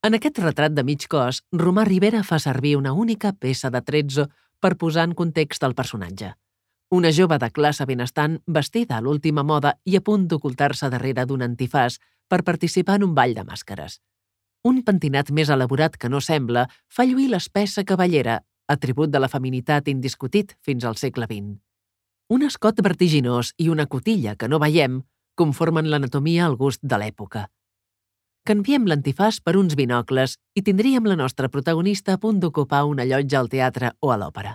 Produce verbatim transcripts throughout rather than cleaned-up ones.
En aquest retrat de mig cos, Romà Ribera fa servir una única peça de trezzo per posar en context el personatge. Una jove de classe benestant vestida a l'última moda i a punt d'ocultar-se darrere d'un antifàs per participar en un ball de màscares. Un pentinat més elaborat que no sembla fa lluir l'espessa cabellera, atribut de la feminitat indiscutit fins al segle vint. Un escot vertiginós i una cotilla que no veiem conformen l'anatomia al gust de l'època. Canviem l'antifàs per uns binocles i tindríem la nostra protagonista a punt d'ocupar una llotja al teatre o a l'òpera.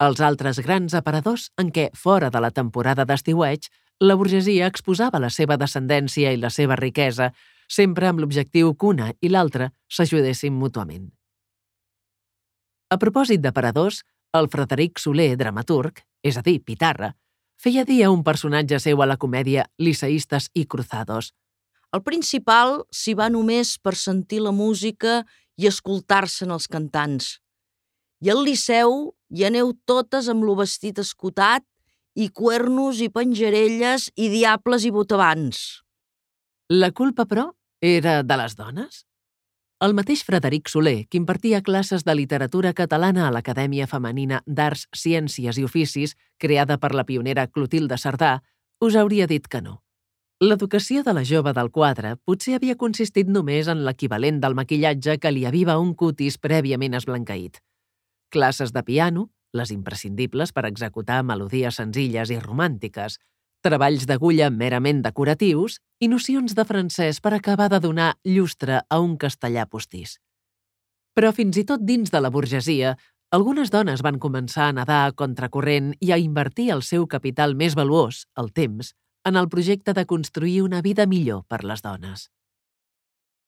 Els altres grans aparadors en què, fora de la temporada d'estiueig, la burgesia exposava la seva descendència i la seva riquesa, sempre amb l'objectiu que una i l'altra s'ajudessin mútuament. A propòsit d'aparadors, el Frederic Soler, dramaturg, és a dir, Pitarra, feia dir a un personatge seu a la comèdia Liceístes i Cruzados: el principal s'hi va només per sentir la música i escoltar-se'n els cantants. I al Liceu hi aneu totes amb lo vestit escotat i cuernos i penjarelles i diables i botavants. La culpa, però, era de les dones? El mateix Frederic Soler, que impartia classes de literatura catalana a l'Acadèmia Femenina d'Arts, Ciències i Oficis, creada per la pionera Clotilde Cerdà, us hauria dit que no. L'educació de la jove del quadre potser havia consistit només en l'equivalent del maquillatge que li aviva un cutis prèviament esblanqueït. Classes de piano, les imprescindibles per executar melodies senzilles i romàntiques, treballs d'agulla merament decoratius i nocions de francès per acabar de donar llustre a un castellà postís. Però fins i tot dins de la burgesia, algunes dones van començar a nedar a contracorrent i a invertir el seu capital més valuós, el temps, en el projecte de construir una vida millor per les dones.